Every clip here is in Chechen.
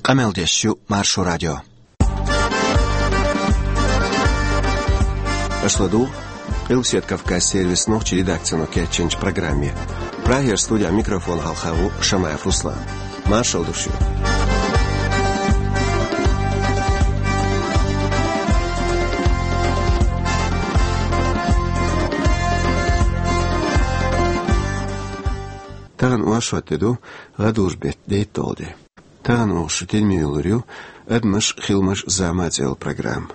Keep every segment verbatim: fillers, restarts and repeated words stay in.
Къамел деш ю Маршо радио. Аша ладугӀу Къилбаседа Кавказ сервисан нохчийн редакцино кечйинчу программе. Прагера студехь микрофон хьалха ву Шамаев Руслан. Маршалла ду шуьга. Тахана оршот де ду, гӀадужу беттан дейтталгӀа де. Тахана оха шун тидаме йиллар ю «Адамаш, хиламаш, зама» цӀе йолу программа.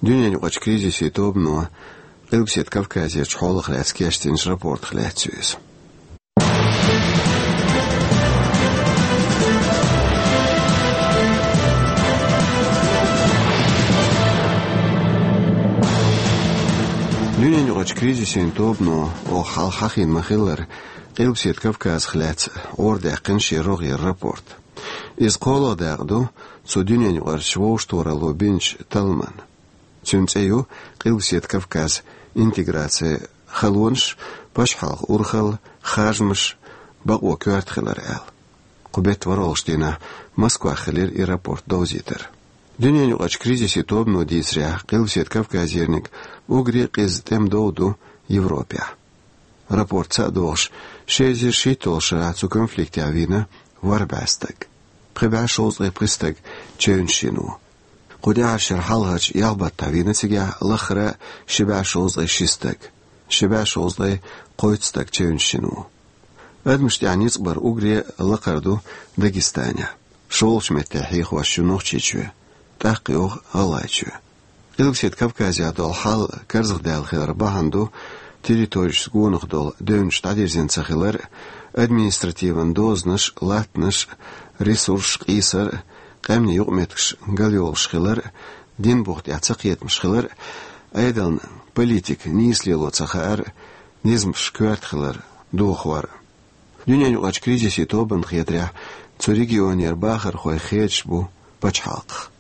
Дуьненаюкъарчу кризисийн тобано Къилбаседа Кавказерчу хьолах лаьцна кечдинчу рапортах лаьцна ю иза. Дуьненаюкъарчу кризисийн тобано оха хьалха хьахийна ма-хиллара Къилбаседа Кавказах лаьцна гӀарадаьккхина шен рогӀера рапорт. Иза кхоалгӀа дакъа ду цу дуьненаюкъарчу вовшахтохаралло бинчу талламан. Цуьнан цӀе ю «Къилбаседа Кавказ: интеграци, халонаш, пачхьалкхан урхалла, харжамаш, бакъо коьрта хилар» аьлла. Кху беттан ворхӀалгӀачу дийнахь Москвахь хилира и рапорт довзийтар. Дуьненаюкъарчу кризисийн тобано дийцарехь, Къилбаседа Кавказерниг уггаре а къиза тӀемадовла ду Европехь. Рапорт цхьаъ дохуш, ши эзар шийтталгӀачу шарахь цу конфликтехь вийна ворхӀ бӀе стаг. Пхи бӀе шовзткъе пхи стаг чевнаш йина ву. Кху тӀаьхьарчу шеран хьалхарчу ялх баттахь вийна цигахь лаххара ши бӀе шовзткъе ши стаг. Ши бӀе шовзткъе кхойтта стаг чевнаш йина ву. Адамашна тӀехь ницкъ бар уггаре а лакхара ду Дагестанехь. ШолгӀачу метте хьехош ю Нохчийчоь, тӀаккха йогӀу ГӀалгӀайчоь. Къилбаседа Кавказехь долу хьал карзахдаьлла хилар бахьана ду территорешца гонах долу девнаш дӀадирзина ца хилар а, административан дозанаш, латтанаш, ресурсаш къийсар а, къаьмнийн юкъаметтигаш галйолуш хилар а, динан бух тӀехь цакхетамаш хилар а, Ӏедална политика нийса лело ца хаар а, низамаш коьрта хилар дохор а. Дуьненаюкъарчу кризисийн тобанна хетарехь, цу регионера бахархой хедаш бу пачхьалкхах.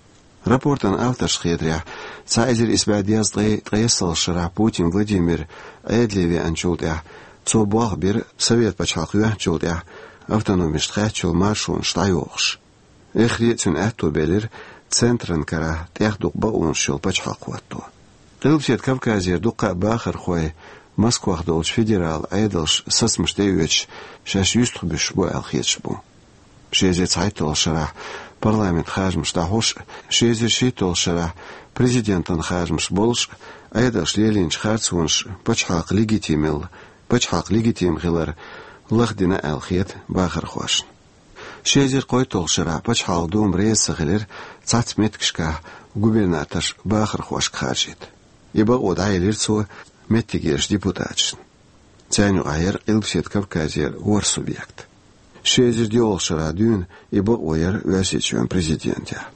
Рапортан авторшна хетарехь, цхьа эзар исс бӀе дезткъе ткъайоьсналгӀачу шарахь Путин Владимир Ӏедале веанчул тӀаьхьа, цо болх бира Совет пачхьалкх йоьхначул тӀаьхьа автономешна хаьттачу маршонаш дӀайохуш. Эххаре а цуьнан аьтто белира центран карахь тӀех дукха бакъонаш йолу пачхьалкх хӀотто. Къилбаседа Кавказера дуккха а бахархой Москвахь долчу федерал Ӏедалша сацамаш тӀеоьцуш, шаьш юьстахбуьсуш бу аьлла хеташ бу. Ши эзар цхьайтталгӀачу шарахь парламентан харжамаш дӀахьош а, ши эзар шийтталгӀачу шарахь президентан харжамаш болуш а, Ӏедалша лелийначу харцонаша пачхьалкх легитимел-, пачхьалкх легитим хилар лахдина аьлла хета бахархошна. Ши эзар кхойтталгӀачу шарахь пачхьалкхан дума реза ца хилира цхьацца меттигашкахь губернаторш бахархошка харжийта. И бакъо дӀаелира цо меттигерчу депутаташна. Царна юкъахь яра Къилбаседа Кавказера ворхӀ субъект. Ши эзар доьалгӀачу шарахь дуьйна и бакъо яра Оьрсийчоьнан президентехь.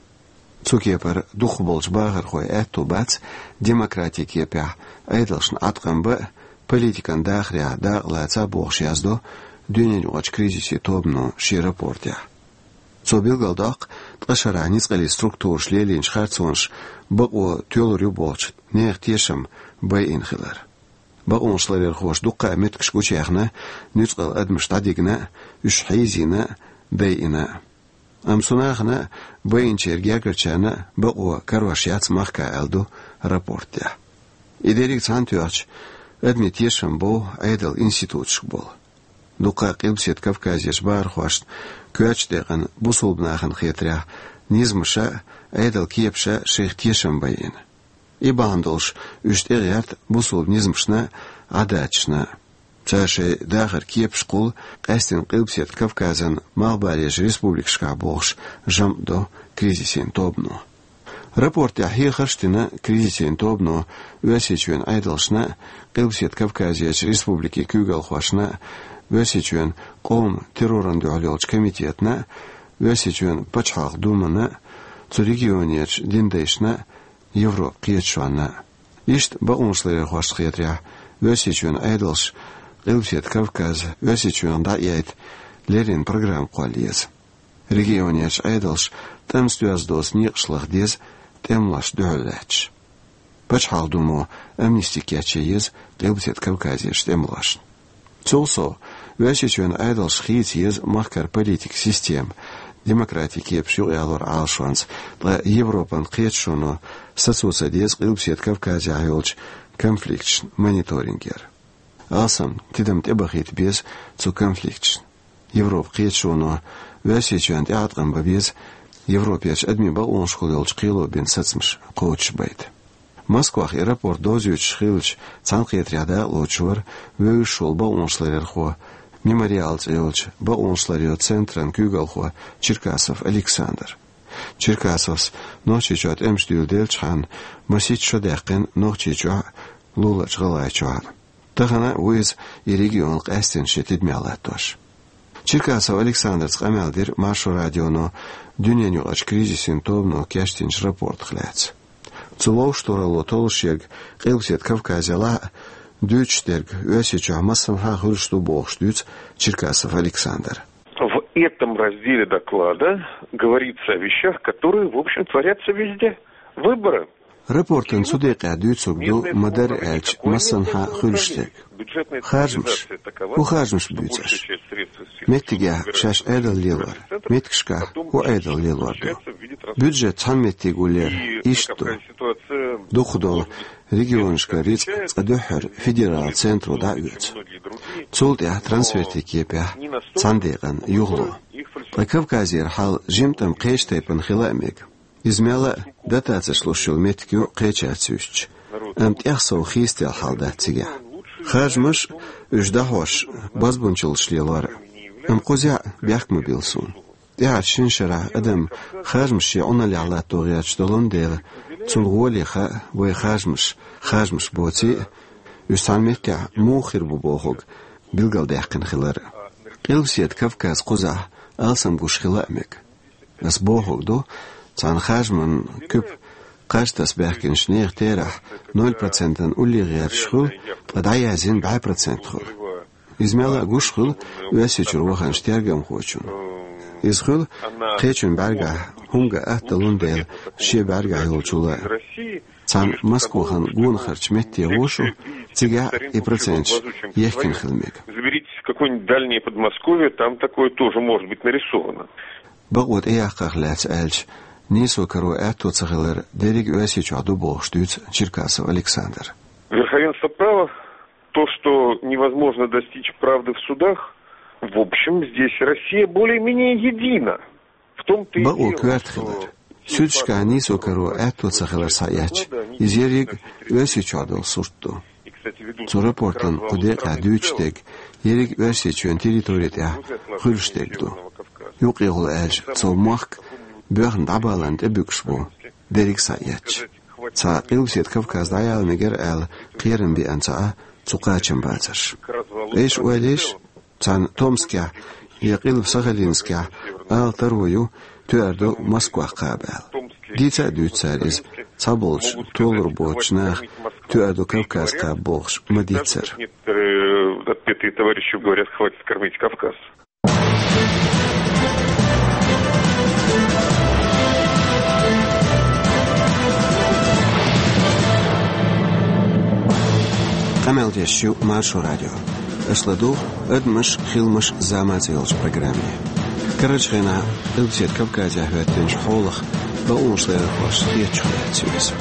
Цу кепара дукхахболчу бахархойн аьтто бац демократин кепехь Ӏедалшна Ӏаткъам бан а, политикан дахарехь дакъа лаца а бохуш, яздо Дуьненаюкъарчу кризисийн тобано шен рапортехь. Цо билгалдоккху ткъа шарахь ницкъаллин структураша лелийначу харцонаша бакъо тоьлур ю бохучу нехан тешам байина хилар. Бакъонашларъярхоша дуккха а меттигаш гучуяьхна, нуьцкъала адамаш дӀадигна а, уьш хьийзийна а, дайина а. Амма цу нахана а, байинчеран гергарчарна а бакъо карош яц махка аьлла ду рапортехь. И дерриг цхьаьна тоьхча, адамийн тешам бов Ӏедалан институташка болу. Дуккха а Къилбаседа Кавказерчу бахархошна коьртачу декъана бусулба нахана хетарехь, низамаша а, Ӏедалан кепаша а шайх тешам байина. И бахьана долуш уьш тӀегӀерта бусулба низамашна а, Ӏадаташна а. Цара шайн дахаран кепаш кхуллу, къаьстина Къилбаседа Кавказан малхбалерчу республикашкахь бохуш, жамӀ до кризисийн тобано. Рапортехь хьехарш а дина кризисийн тобано Оьрсийчоьнан Ӏедалшна а, Къилбаседа Кавказерчу республикийн куьйгалхошна а, Оьрсийчоьнан къоман террорна дуьхьал йолчу комитетна а, Оьрсийчоьнан пачхьалкхан думана а, цу регионерчу динан дайшна а, Европан кхеташонна а. Иштта бакъонашларъярхошна хетарехь, Оьрсийчоьнан Ӏедалша Къилбаседа Кавказ Оьрсийчоьнах дӀа а яйта, леррина программа кхолла еза. Регионерчу Ӏедалша тӀамца доьзна доцу некъаш лаха деза тӀемалошна дуьхьал лаьтташ. Пачхьалкхан думо амнисти кечъян еза Къилбаседа Кавказерчу тӀемалошна. Цул сов, Оьрсийчоьнан Ӏедалша хийца еза махкара политикан система, демократин кепаш юкъаялоран Ӏалашонца, ткъа Европан кхеташоно сацо ца деза Къилбаседа Кавказехь йолчу конфликташна мониторинг яр. Алсам тидам тӀебахийта беза цу конфликташна. Европан кхеташоно Оьрсийчоьнна тӀеӀаткъам бан беза Европерчу адамийн бакъонашкахула йолчу кхело бина сацамаш кхочушбайта. Москвахь и рапорт довзуьйтуш хиллачу цхьаьнакхетарехь дакъалоцуш вара вевзаш волу бакъонашларъярхо, «Мемориал» цӀе йолчу бакъонашларъяран центран куьйгалхо Черкасов Александр. Черкасовс Нохчийчохь тӀемаш дуьйладелчхьана, масийтта шо даьккхина Нохчийчохь а, луларчу ГӀалгӀайчохь а. Тахана а ву иза и регион къаьстина шен тидамехь латтош. Черкасов Александрца къамел дира Маршо радионо дуьненаюкъарчу кризисийн тобано кечдинчу рапортах лаьцна. Цу вовшахтохаралло толлушъерг Къилбаседа Кавказехь а, дуьйцуш дерг Оьрсийчохь массанхьа а хуьлуш ду бохуш дуьйцу Черкасов Александр. В этом разделе доклада говорится о вещах, которые, в общем, творятся везде. Выборы. Рапортан цу декъехь дуьйцург ду, ма-дарра аьлча, массанхьа а хуьлуш дерг. Харжамаш. ХӀун харжамаш буьйцу аша? Меттигехь шаьш Ӏедал лелор, меттигашкахь хӀун Ӏедал лелор ду? Бюджет цхьана меттиг ву лер, иштта ду. Дукхахдолу регионашкара рицкъ цкъа дуьххьара федералан центро дӀа а оьцу. Цул тӀаьхьа трансфертийн кепехь цхьана декъана юхало. Ткъа Кавказера хьал жимма-тӀамма кхечу тайпана хила а мега. Иза мелла а дотацеш луш йолу меттиг ю кхечаьрца юьстича. Амма тӀех сов хийцаделла хьал дац цигахь. Харжамаш а, уьш дӀахьош а, бозбунчаллаш лелор а. Амма кхузахь а бехк ма билла суна. ТӀаьхьарчу шина шарахь адам харжамаш шен Ӏуналлехь латто гӀерташ долун дела, цунна гӀоле хаьа вайн харжамаш, харжамаш боций а, уьш цхьана меттехь муха хир бу бохург билгалдаьккхина хилар а. Къилбаседа Кавказ кхузахь алсам гуш хила а мега. Ас бохург ду, цхьана харжаман куьпа кхаж таса баьхкинчу нехан терахь ноль процентан уллехь гӀерташ хуьлу, ткъа дӀаяздина бӀе процент хуьлу. Иза мелла а гуш хуьлу Оьрсийчуьра ваханчу тергамхочунна. Иза хуьлу кхечун бӀаьргахь хӀума ган атта далун дела шен бӀаьргахь йолчул а. Цхьана Москвахана гонахарчу метте гӀо шу, цигахь а и проценташ ехкина хила мега. Заберитесь в какое-нибудь дальнее Подмосковье, там такое тоже может быть нарисовано. Бакъо тӀеяккхарх лаьцна аьлча, нийсо каро аьтто ца хилар дерриг а Оьрсийчохь ду бохуш дуьйцу Черкасов Александр. Верховенство права, то, что невозможно достичь правды в судах, в общем, здесь Россия более-менее едина. В том-то и дело, что... Бакъо коьрта хилар. Суьдашкахь нийсо каро аьтто ца хилар схьаэцча, иза ерриг а Оьрсийчохь долу сурт ду. Цу рапортан кху декъехь дуьйцуш дерг ерриг а Оьрсийчоьнан территори тӀехь хуьлуш дерг ду. Юккъехула аьлча, цо мохк боьхна дӀабаларна тӀебуьгуш бу, дерриг а схьаэцча. Цхьа Къилбаседа Кавказ дӀаяла мегар аьлла кхерам беана ца Ӏа цу кхачамбацарш. Айша ойла еш, цхьана Томскехь я къилба Сахалинскехь ала таро ю, тоьар ду Москвах кхаба аьлла. Дийца а дуьйцу цара иза, цхьаболчу толур боцучу наха тоьар ду Кавказ кхаба бохуш ма-дийццара. Некоторые отпетые товарищи говорят: «Хватит кормить Кавказ». Къамел деш ю Маршо радио. Аша ладугӀу «Адамаш, хиламаш, зама» цӀе йолчу программе. Карарчу хенахь Къилбаседа Кавказехь хӀоьттинчу хьолах бакъонашларъярхоша хетачух лаьцна ю иза.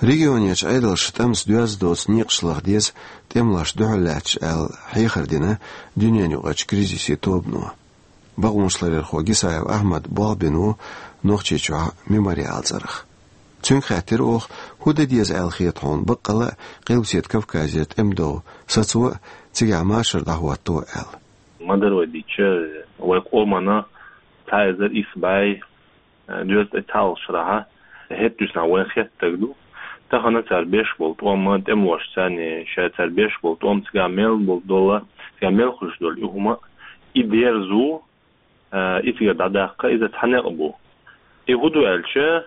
Регионерчу Ӏедалша тӀамца доьзна доцу некъаш лаха деза тӀемалошна дуьхьал лаьтташ аьлла, хьехар дина дуьненаюкъарчу кризисийн тобано. Бакъонашларъярхо Гисаев Ахьмада болх бина ву Нохчийчохь «Мемориал» цӀарах. Цуьнга хаьттира оха, хӀун дан деза аьлла хета хьуна баккъалла а Къилбаседа Кавказера тӀемадовла сацо а, цигахь машар дӀахӀотто а аьлла. Ма-дарра вай дийцича, вай къомана цхьа эзар исс бӀе, э, доьзна тӀе цхьалгӀачу шарахь хӀетта дуьсна вайна хетта стаг ду. Тахана цара беш болу тӀом а, тӀемалошца царна ша цара беш болу тӀом, цигахь мел болу долу, цигахь мел хуьлуш долу и хӀума, и дерзо, э, и цигара дӀадаккха, иза цхьа некъ бу. И хӀун ду аьлча,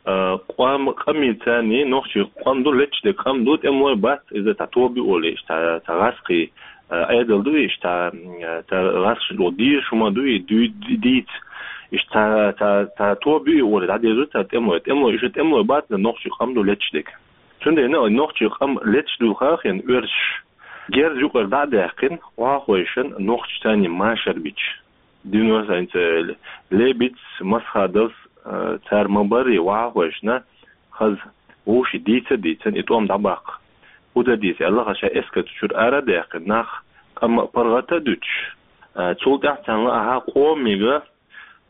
э, къам, къамий царний, нохчий къам ду, леташ дерг къам ду, тӀемалой бац, иза цхьа тоба ю олий, иштта цхьа, цхьа гӀаскхий, э, Ӏедал ду, иштта, э, цхьа гӀаскхий ду, дийраш хӀума ду, и дуй-, ди-, дийца, иштта цхьа, цхьа, цхьа тоба ю олий, дӀадерзо цара тӀемалой. ТӀемалой, иштта тӀемалой бац, иза нохчий къам ду, леташ дерг. Цу Цундела нохчий къам леташ дуьлхахьа оьрсаш герз юкъара дӀа а даьккхина, охьахойшина нохчашца машар бича. Динос айнца Лебедьс, Масхадовс, э, цара ма барий охьахойшина, хаза вовший дийца а дийцина, и тӀом дӀабаккха. ХӀун дан деза аьлла, хаза шайн эскар цу чуьра ара а даьккхина, нах къам а паргӀата а дуьтуш. Э, цул тӀаьхьа царна лаахьа къомига,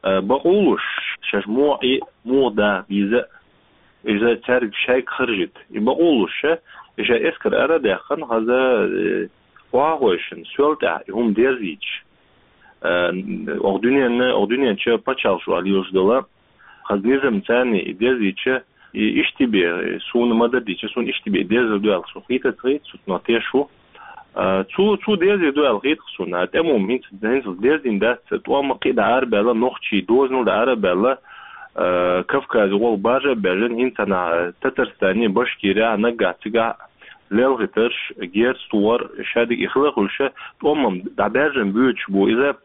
э, бакъо луш, шаьш муха Ӏе, муха даха деза, иза цаьрга шайга харжийта. И бакъо луш, ша, и шайн эскар ара а даьккхина, хаза, э, охьахойшина, соьл тӀехь, и хӀума дерзийча. Э, оха дуьненна, оха дуьнен чу пачхьалкхаш лелаш дола, хаза низамца и дерзийча, и иштта бе, суна ма-дарра дийцича, суна иштта бе дерзар ду аьлла, со хетац хетац, со но теш ву. Э, цо, цо дерзар ду аьлла хеташ суна. ТӀема хӀума хӀинца, хӀинца дерзийна дац, тӀом кхы а дӀа арабаьлла, нохчий дозанал дӀа арабаьлла, э, Кавказе гӀолла баржа а баьржина, хӀинца цхьана Татарстане, Башкире, наггахь цигахь лелхийтарш, герз тохар, шадерг и хила хуьлуш, тӀом-м дӀабаьржина буьйцуш бу. Иза,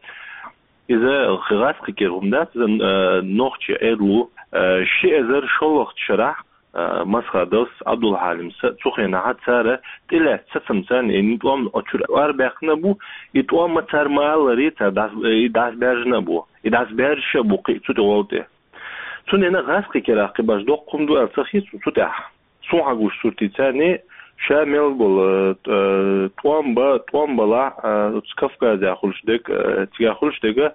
иза гӀаскхи кхера хӀума дац, иза, э, нохчий Ӏедало, э, ши эзар шоллагӀчу шарахь, э, Масхадовс, Ӏабдулхьалимс, цу хенахь цара тӀелаьцна сацамца и тӀом оцу чуьра арабаьккхина бу, и тӀом-м цара ма-аллара, цара дӀас-, и дӀасабаьржина а бу, и дӀасабаьржаш а бу кхин а цу тӀе гӀолла тӀе. Цундела гӀаскхи керахь кхин баш доккха хӀума ду аьлла ца хета цу тӀехь. Суна хьагуш суртица, ша мел болу, э, тӀом ба-, тӀом балахь, э, оцу Кавказехь хуьлуш дерг, э, цигахь хуьлуш дерг,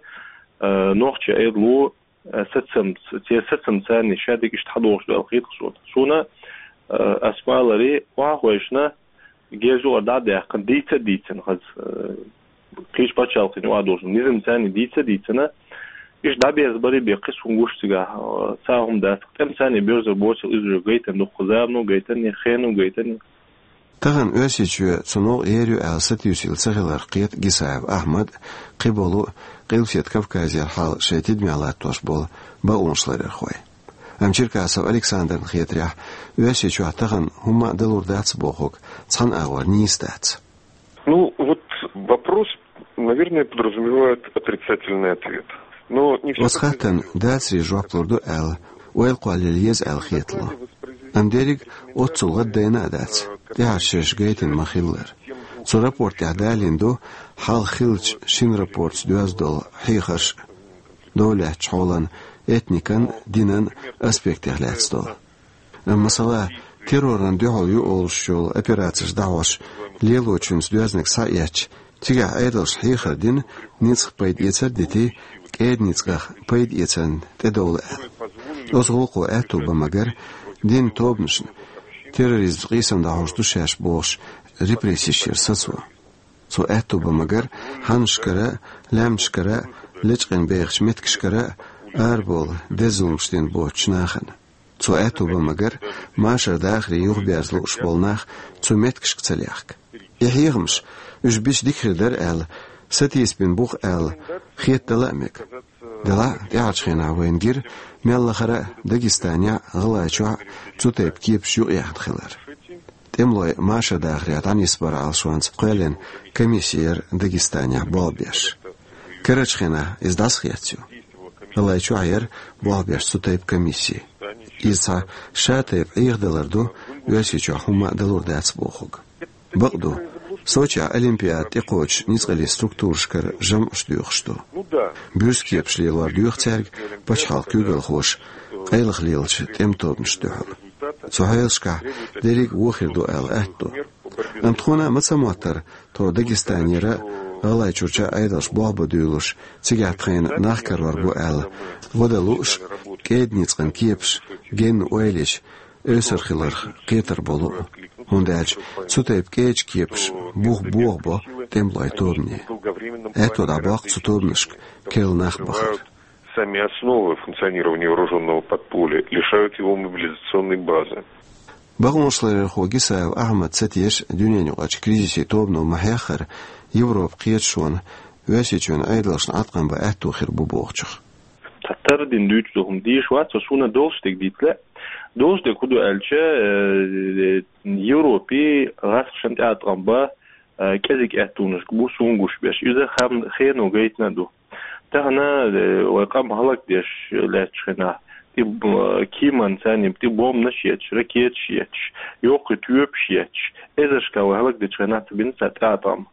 э, нохчий Ӏедало, э, сацам-, церан сацамца шадерг иштта хьадохуш ду аьлла хета суна. Суна, э, ас ма-аллара, охьахойшина, герз юкъара дӀа а даьккхина, дийца а дийцина хаза, э, кхечу пачхьалкхашна юкъахь долчу низамца дийца а дийцина, иштта дӀаберзабарий бен кхин суна гуш цигахь, э, цхьа а хӀума дац, тӀемаца боьрзур боцург иза уже гайтина ду, кху замано гайтина, хено гайтина. Тахана Оьрсийчоь цунах ер ю аьлла сатуьйсийла ца хиларх кхета Гисаев Ахьмад, кхиболу Къилбаседа Кавказера хьал шайн тидамехь латтош болу бакъонашларъярхой. Амма Черкасов Александрна хетарехь, Оьрсийчохь тахана хӀумма а далур дац бохург цхьана агӀор нийса дац. Ну, вот вопрос, наверное, подразумевает отрицательный ответ. Но не всё... Оцу хаттарна дацаре жоп лур ду аьлла, ойла кхоллаелла еза аьлла хетало. Амма дерриг оццул гӀаддайна а дац, тӀаьхьарчу шерашка гайтина ма-хиллара. Цу рапорт тӀехь далийна ду хьалха хиллачу шина рапортца доьзна долу хьехарш а, дов лаьцначу хьолан, этникан, динан аспектех лаьцна долу. Амма, масала, террорна дуьхьал ю олуш йолу операцеш дӀахьош, лелочуьнца доьзнарг схьаэцча, цигахь Ӏедалша хьехар дина, ницкъах пайдаэцар а дитий, кӀеда ницкъах пайдаэцарна тӀедовла аьлла. Оцу гӀуллакхо аьтто бан магар динан тобанашна, терроризмца къийсам дӀахьош ду шаьш бохуш, репрессеш яр сацо. Цо аьтто бан магар хьаннашкара а, лаьмнашкара а, лечкъина бехачу меттигашкара а арабовла деза зуламаш дина боцучу нахана. Цо аьтто бан магар машар дахаре юхаберза лууш болу нах цу меттигашка ца лехка. И хьехамаш, уьш бича дика хир дара аьлла, сатийсабина бу-кх аьлла, хетадала а мега. Делахь а тӀаьхьарчу хенахь вайна гира мел лахара а Дагестанехь а, ГӀалгӀайчохь а цу тайпа кепаш юкъаяьхна хилар. ТӀемалой машар дахаре дӀанисбаран Ӏалашонца кхоьллина комисси яра Дагестанехь болх беш. Карарчу хенахь иза дӀасахецна ю. ГӀалгӀайчохь яра болх беш цу тайпа комисси. Иза цхьа ша тайпа Ӏехадалар ду, Оьрсийчохь хӀумма а далур дац бохург. Бакъду, Сочехь Олимпиада тӀекхочуш ницкъаллин структурашкара жамӀаш доьхуш ду. Буьрса кепаш лелор доьху цаьрга пачхьалкхан куьйгалхоша къайлаха лелачу тӀеман тобанашна дуьхьал. Цу хьелашкахь дерриг а вон хир ду аьлла аьтто. Амма тхуна а ма ца моттара, тхо Дагестанера а, ГӀалгӀайчуьрчу а Ӏедалша болх бан дуьйлалуш, цигахь тхайна нах карор бу аьлла, гӀо дан лууш, кӀеда ницкъан кепаш, генна ойла йича, эвсар хиларх кхетар болу а, хӀунда аьлча цу тайпа кӀеда кепаш бух бохабо тӀемалойн тобане. Аьтто дӀабоккху цу тобанашка керла нах бахар. Сами основы функционирования вооружённого подполья лишают его мобилизационной базы. Бакъонашларъярхо Гисаев Ахьмад ца теша дуьненаюкъарчу кризисийн тобано ма-хьеххара, Европан кхеташонна Оьрсийчоьнан Ӏедалшна Ӏаткъам бан аьтто хир бу бохучух. Цхьа тардина дуьйцуш ду хӀума дийш вац, со суна долуш дерг дийца лаьа. Долуш дерг хӀун ду аьлча, э, Европе гӀаскхашна тӀеӀаткъам бан, э, кӀезиг аьттонаш бу суна гуш берш. Иза хам-, хено гайтина а ду. Тахана, э, вай къам хӀаллакдеш лаьттачу хенахь, ТӀе, э, кеман царна тӀе бомбанаш етташ, ракеташ етташ, йоккхий тоьпаш етташ, эзаршкахь вай хӀаллакдечу хенахь ца бина цара тӀеӀаткъам.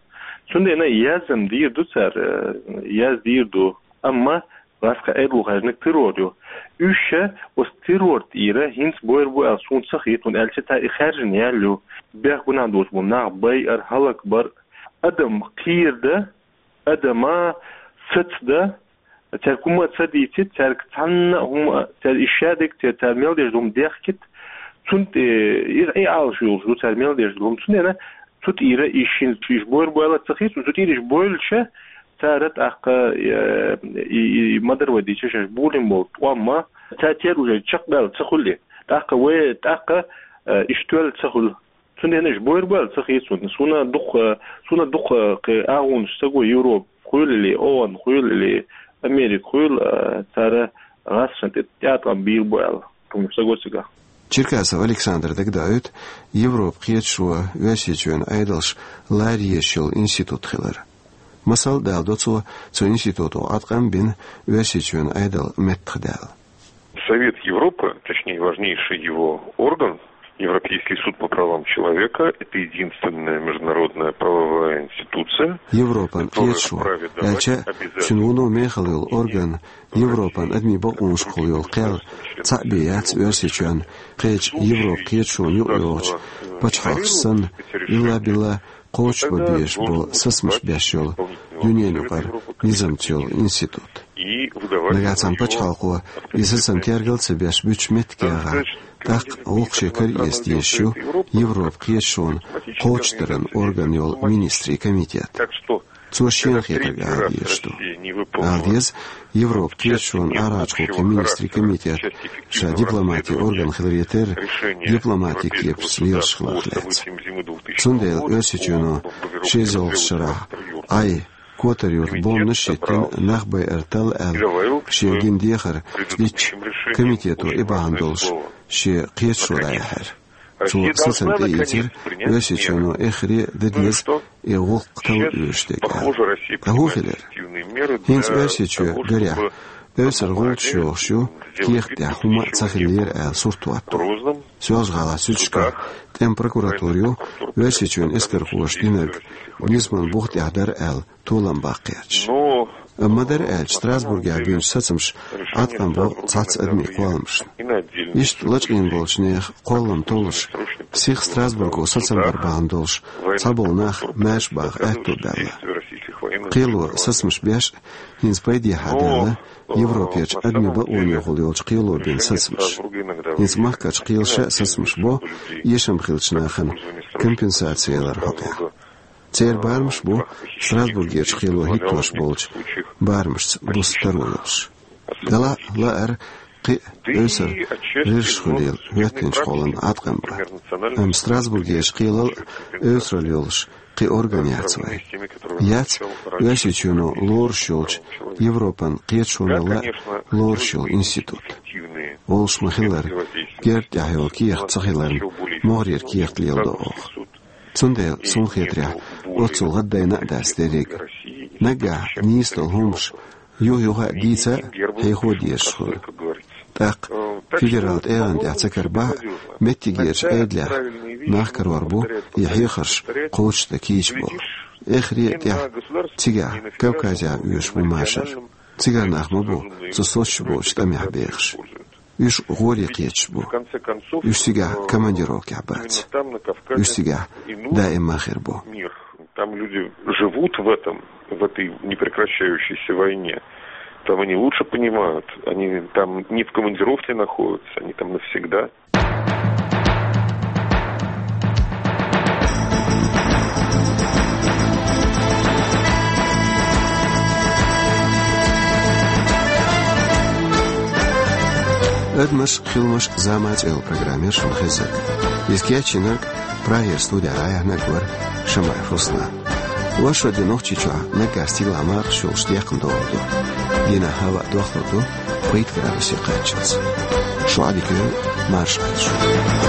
Цундела яздан дийр ду цара, э, яздан дийр ду. Амма лаьцна Ӏедало хаьржинарг террор ю. Уьш ша оцу террор тӀера хӀинца бойр бу аьлла суна ца хета, хӀунда аьлча цара и хаьржина яьлла ю. Бехк-гунахь доцуш болу нах байар, хӀаллакбар, адам кхерадан, адама сацадан, цаьрга хӀума а ца дийцийта, цаьрга цхьанна а хӀума, цаьрга и шадерг, цаьрга цара мел деш долу хӀума дехкийта, цунна тӀе, иза и Ӏалаш йолуш ду цара мел деш долу хӀума. Цундела цу тӀера и шина чу иш бойр бу аьлла ца хета, цу тӀера иш бойлуш цара тӀаккха, э, и, и, и ма-дарра вай дийцича шаьш бовлина болу тӀом а, цара терра уже чекхбаьлла ца хуьлу и. ТӀаккха вай, тӀаккха, э, иш тоьлла ца хуьлу. Цундела иш бойр бу аьлла ца хета суна. Суна дукха, суна дукха кхин агӀонаш ца го Европа хуьлу или, ООН хуьлу или, Америка хуьлу, а, цара гӀазкхашна тӀе тӀеӀаткъам бийр бу аьлла. Хьуна ца го цигахь. Черкасов Александр дагадоуьйту Европа кхеташо Оьрсийчоьнан Ӏедалш лара езаш йолу институт хилар. Масала даладо цо, цу институто Ӏаткъам бина Оьрсийчоьнан Ӏедал меттахдаьлла. Совет Европы, точнее, важнейший его орган, Европейский суд по правам человека, это единственная международная правовая институция, Европан кхеташо, аьлча, цуьнан вуно мехала йолу орган, Европан адамийн бакъонашкахула йолу кхел, цхьаъ бен яц Оьрсийчоьнна, кхечу Европа кхеташонна юкъайогӀучу пачхьалкхашца санна, илла-билла кхочушбан безаш болу сацамаш беш йолу дуьненан юкъара низамца йолу институт. Нагахь цхьана пачхьалкхо и сацам тергал а ца беш буьтуш меттиг яхахь, тӀаккха гӀуллакх шен кара эца дезаш ю Европа кхеташонан кхочушдаран орган йолу министрийн комитет. Цо шена хетарг ала дезаш ду. Ала деза, Европа кхеташонан арахьарчу гӀуллакхийн министрийн комитет ша дипломатин орган хиларе терра, дипломатин кепаца лелаш хиларх лаьцна. Цундела Оьрсийчоьно ши эзар ялхалгӀачу шарахь Ӏай Котар-юьрта бомбанаш а йиттина, нах байар талла аьлла, шен гина дехар дитча, комитето и бахьана долуш шен кхеташо дӀаяьхьира. Цо сацам тӀеийцира, Оьрсийчоьно эххар а дан деза и гӀуллакх талла оьшуш дерг аьлла. Ткъа хӀун хилира? ХӀинца Оьрсийчоь, гарехь, эвсара гӀулчаш йохуш ю, кехат тӀехь хӀума а ца хиллера аьлла сурт хӀоттор. Соьлжа-ГӀалахь суьдчашкахь тӀеман прокуратура ю Оьрсийчоьнан эскархоша динарг низаман бух тӀехь дара аьлла толам баккха гӀерташ. Амма ма-дарра аьлча, Страсбургехь бинчу сацамаша Ӏаткъам бо цхьацца адамийн кхолламашна. Иштта лачкъийна болчу нехан кхоллам толлуш, сиха Страсбурго сацам бар бахьана долуш цхьаболу нах маьрша баха аьтто баьлла. Кхело сацамаш беш а, хӀинца пайдехьа даьлла Европерчу адамийн бакъонехула йолчу кхело бина сацамаш. ХӀинца махкарчу кхелаша а сацамаш бо эшам хиллачу нахана компенсаци ялар хьокъехь. Церан барамаш бу Страсбургерчу кхело хӀиттош болчу барамашца буса таро йолуш. Делахь а лаар кхин а эвсара гӀирсаш хуьлийла хӀоьттинчу кхоллам Ӏаткъам бан. Амма Страсбургерчу кхелал а эвсаралла йолуш кхин орган яц вайн. Яц Оьрсийчоьно лоруш йолчу Европан кхеташонал а лоруш йолу институт. Олуш ма-хиллара, герга тӀехь йолу кехат ца хиларна, могӀарера кехат леладо оха. Цундела, суна хетарехь, оццул гӀаддайна а дац дерриг а. Наггахь нийса долу хӀуманаш юх-юха а дийца а, хьехо а дезаш хуьлу. ТӀаккха федерал тӀегӀан тӀехь ца карабахь а, меттигерчу Ӏедалехь нах карор бу и хьехарш кхочушдан кийча болу. Эххар а тӀехь цигахь, Кавказехь оьшуш бу машар. Цигара нах ма бу цу соцуш боцучу тӀамехь бехаш. Уьш гӀоре кхеташ бу. Уьш цигахь командировкехь бац. Уьш цигахь даима хир бу. Там люди живут в этом, в этой непрекращающейся войне. Там они лучше понимают. Они там не в командировке находятся, они там навсегда. «Адамаш, хиламаш, зама» цӀе йолу программа яра шуна хезнарг. Иза кечйинарг, Прагера студехь дӀаяьхьнарг вара Шамаев Руслан. Вай шо де Нохчийчохь наггахь стигалахь мархаш йолуш декхна догӀур ду. Дийнахь хӀаваъ дохлур ду пхийтта градусе кхаччалц. Шун Ӏадика йойла, марша Ӏойла шу.